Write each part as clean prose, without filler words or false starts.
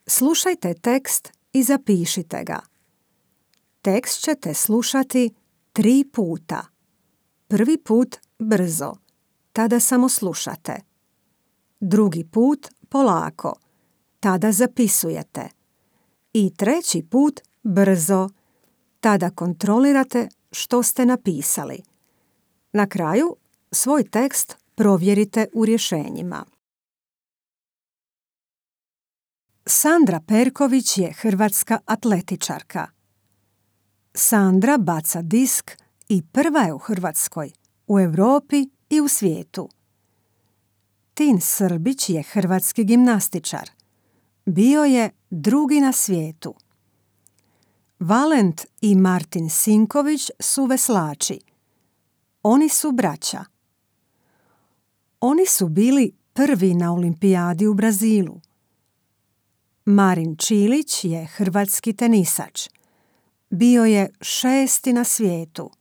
Slušajte tekst i zapišite ga. Tekst ćete slušati 3 puta. Prvi put brzo, tada samo slušate. Drugi put polako, tada zapisujete. I treći put brzo, tada kontrolirate što ste napisali. Na kraju svoj tekst provjerite u rješenjima. Sandra Perković je hrvatska atletičarka. Sandra baca disk i prva je u Hrvatskoj, u Europi i u svijetu. Tin Srbić je hrvatski gimnastičar. Bio je drugi na svijetu. Valent i Martin Sinković su veslači. Oni su braća. Oni su bili prvi na olimpijadi u Brazilu. Marin Čilić je hrvatski tenisač. Bio je 6. na svijetu.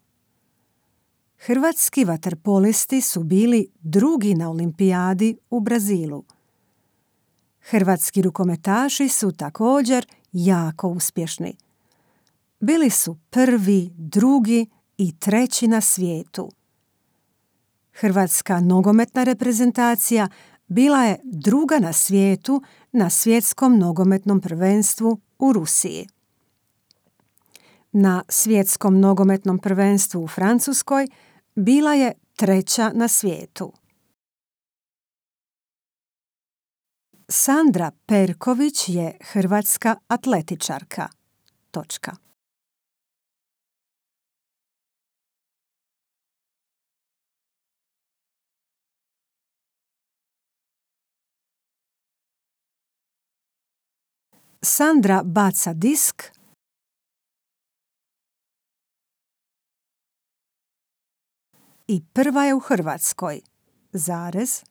Hrvatski vaterpolisti su bili drugi na olimpijadi u Brazilu. Hrvatski rukometaši su također jako uspješni. Bili su prvi, drugi i treći na svijetu. Hrvatska nogometna reprezentacija bila je druga na svijetu na svjetskom nogometnom prvenstvu u Rusiji. Na svjetskom nogometnom prvenstvu u Francuskoj bila je treća na svijetu. Sandra Perković je hrvatska atletičarka. Točka. Sandra baca disk i prva je u Hrvatskoj, zarez,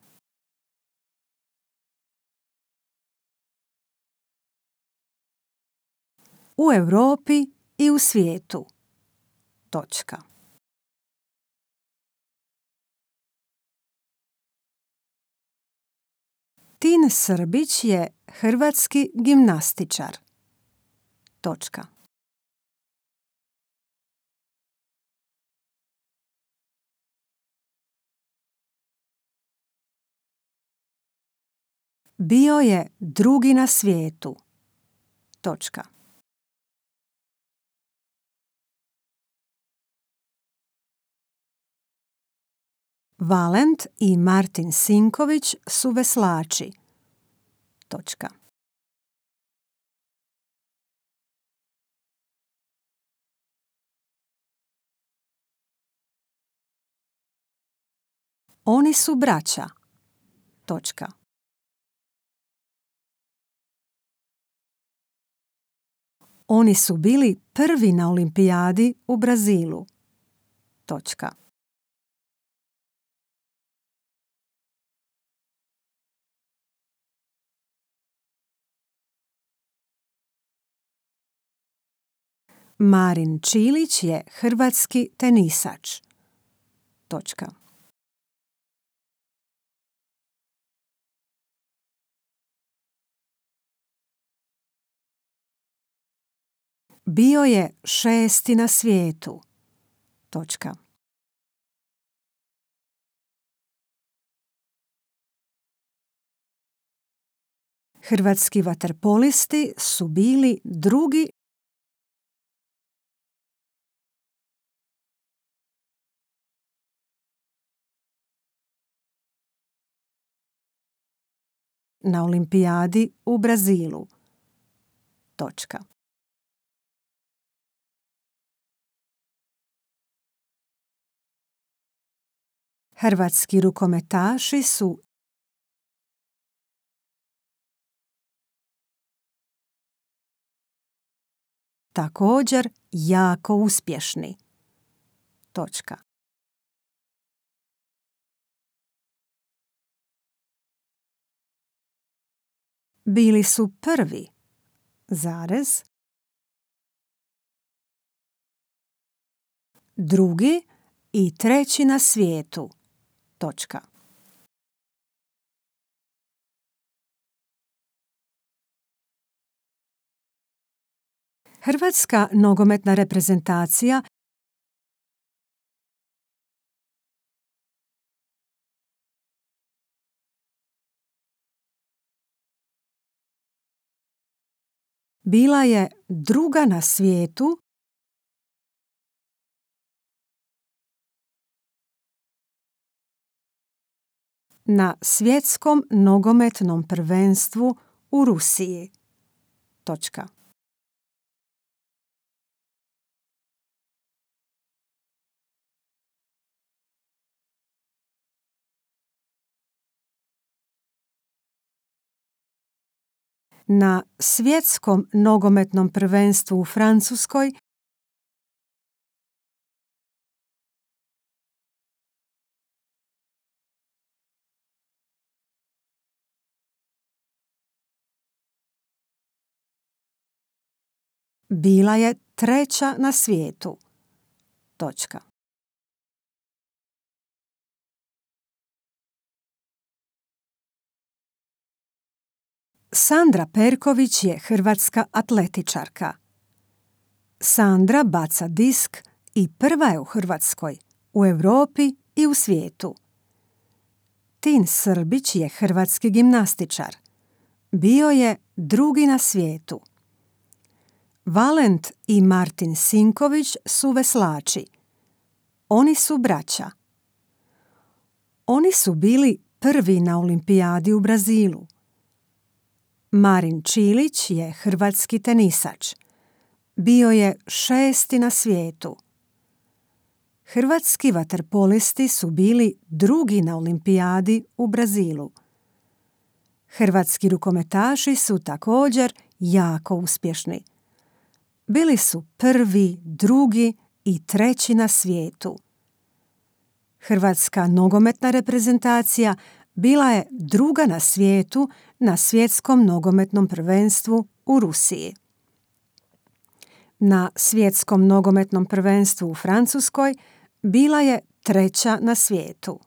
u Europi i u svijetu, točka. Tin Srbić je hrvatski gimnastičar, točka. Bio je drugi na svijetu, točka. Valent i Martin Sinković su veslači, točka. Oni su braća, točka. Oni su bili prvi na olimpijadi u Brazilu, točka. Marin Čilić je hrvatski tenisač, točka. Bio je 6. na svijetu, točka. Hrvatski vaterpolisti su bili drugi na olimpijadi u Brazilu, točka. Hrvatski rukometaši su također jako uspješni, točka. Bili su prvi, zarez, drugi i treći na svijetu, točka. Hrvatska nogometna reprezentacija bila je druga na svijetu na svjetskom nogometnom prvenstvu u Rusiji. Točka. Na svjetskom nogometnom prvenstvu u Francuskoj bila je treća na svijetu. Točka. Sandra Perković je hrvatska atletičarka. Sandra baca disk i prva je u Hrvatskoj, u Europi i u svijetu. Tin Srbić je hrvatski gimnastičar. Bio je drugi na svijetu. Valent i Martin Sinković su veslači. Oni su braća. Oni su bili prvi na olimpijadi u Brazilu. Marin Čilić je hrvatski tenisač. Bio je 6. na svijetu. Hrvatski vaterpolisti su bili drugi na olimpijadi u Brazilu. Hrvatski rukometaši su također jako uspješni. Bili su prvi, drugi i treći na svijetu. Hrvatska nogometna reprezentacija bila je druga na svijetu na svjetskom nogometnom prvenstvu u Rusiji. Na svjetskom nogometnom prvenstvu u Francuskoj bila je treća na svijetu.